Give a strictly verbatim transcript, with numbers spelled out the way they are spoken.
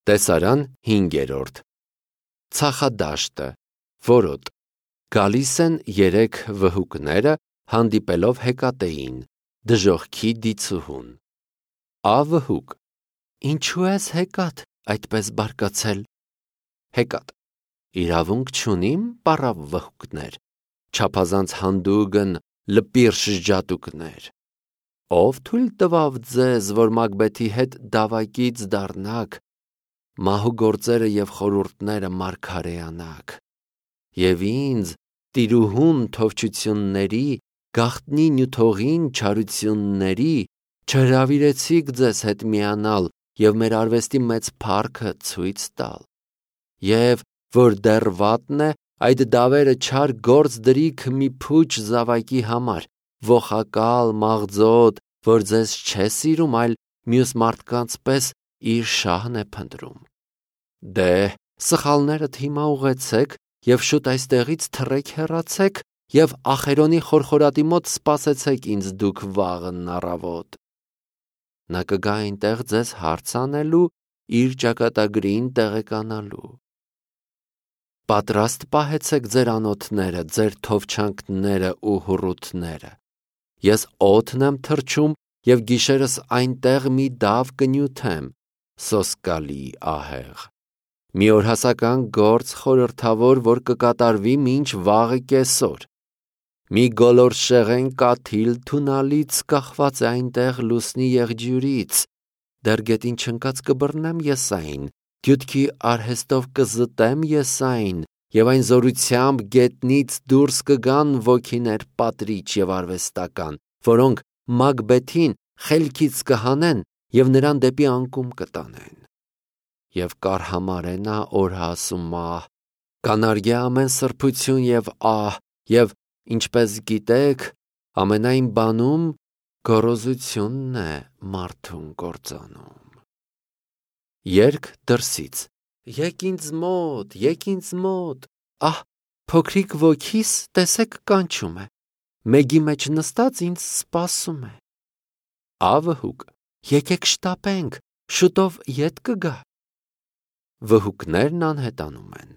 Տեսարան հինգերորդ Ցախադաշտը, որոտ, գալիս են երեք վհուկները հանդիպելով Հեկատեին, դժոխքի դիցուհուն։ Ա վհուկ. Ինչու ես Հեկատ այդպես բարկացել։ Հեկատ. իրավունք չունիմ, պառավ վհուկներ, չափազանց հանդուգն լպիր շջատուկներ։ Ով թույլ տվավ ձեզ, որ Մագբեթի հետ դավակից դառնաք, մահու գործերը եւ խորհուրդները մարգարեանաք, եւ ինձ տիրուհուն թովչությունների, գաղտնի նյութողին չարությունների չհրավիրեցիք ձեզ հետ միանալ եւ մեր արվեստի մեծ փառքը ցույց տալ, եւ որ դեռ վատն է, այդ դավերը չար գործ դրիք մի փուչ զավակի համար, ոխակալ, մաղձոտ, որ ձեզ չէ սիրում, այլ մյուս մարդկանց պես իր շահն է փնտրում։ Դե, սխալներդ հիմա ուղեցեք եւ շուտ այստեղից թռեք հեռացեք եւ Ախերոնի խորխորատի մոտ սպասեցեք ինձ դուք վաղն առավոտ։ Նա կգա այնտեղ ձեզ հարց անելու, իր ճակատագրին տեղեկանալու։ Պատրաստ պահեցեք ձեր անոթները, ձեր թովչանքները ու հուռութները։ Ես օդն եմ թռչում եւ գիշերս այնտեղ մի դավ կնյութեմ, սոսկալի ահեղ։ Մի օրհասական գործ խորհրդավոր, որ կկատարվի մինչ վաղը կեսօր։ Մի գոլորշեղեն կաթիլ թունալից կախված է այնտեղ լուսնի եղջյուրից, դեռ գետին չընկած կբռնեմ ես այն, գյուտքի արհեստով կզտեմ ես այն, եւ այն զորությամբ գետնից դուրս կգան ոգիներ պատրիչ եւ արվեստական, որոնք Մագբեթին խելքից կհանեն եւ նրան դեպի անկում կտանեն։ Եվ կարհամարե նա օրհասումահ, կանարգե ամեն սրբություն եւ ահ, եւ ինչպես գիտեք, ամենայն բանում գոռոզությունն է մարդուն կործանում։ Երգ դրսից. Եկ ինձ մոտ, եկ ինձ մոտ, ահ, փոքրիկ ոգիս տեսեք կանչում է, մեգի մեջ նստած ինձ սպասում է։ Ա վհուկ. եկեք շտապենք, շուտով ետ կգա։ Վհուկներն անհետանում են։